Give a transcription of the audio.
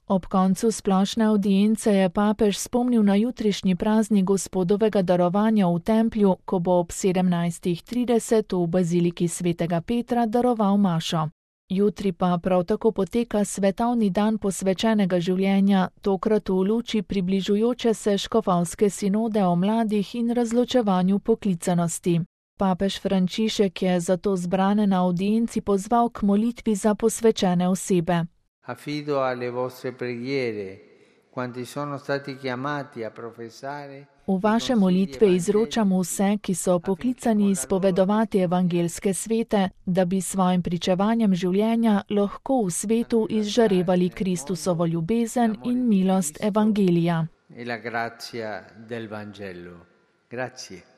Ob koncu splošne avdience je papež spomnil na jutrišnji praznik Gospodovega darovanja v templju, ko bo ob 17:30 v baziliki svetega Petra daroval mašo. Jutri pa prav tako poteka svetovni dan posvečenega življenja, tokrat v luči približujoče se škofovske sinode o mladih in razločevanju poklicanosti. Papež Frančišek je zato zbrane na avdienci pozval k molitvi za posvečene osebe. Affido alle vostre preghiere, quanti sono stati chiamati a professare. V vaše molitve izročam vse, ki so poklicani izpovedovati evangelske svete, da bi svojim pričevanjem življenja lahko v svetu izžarevali Kristusovo ljubezen in milost evangelija. E la grazia del Vangelo. Grazie.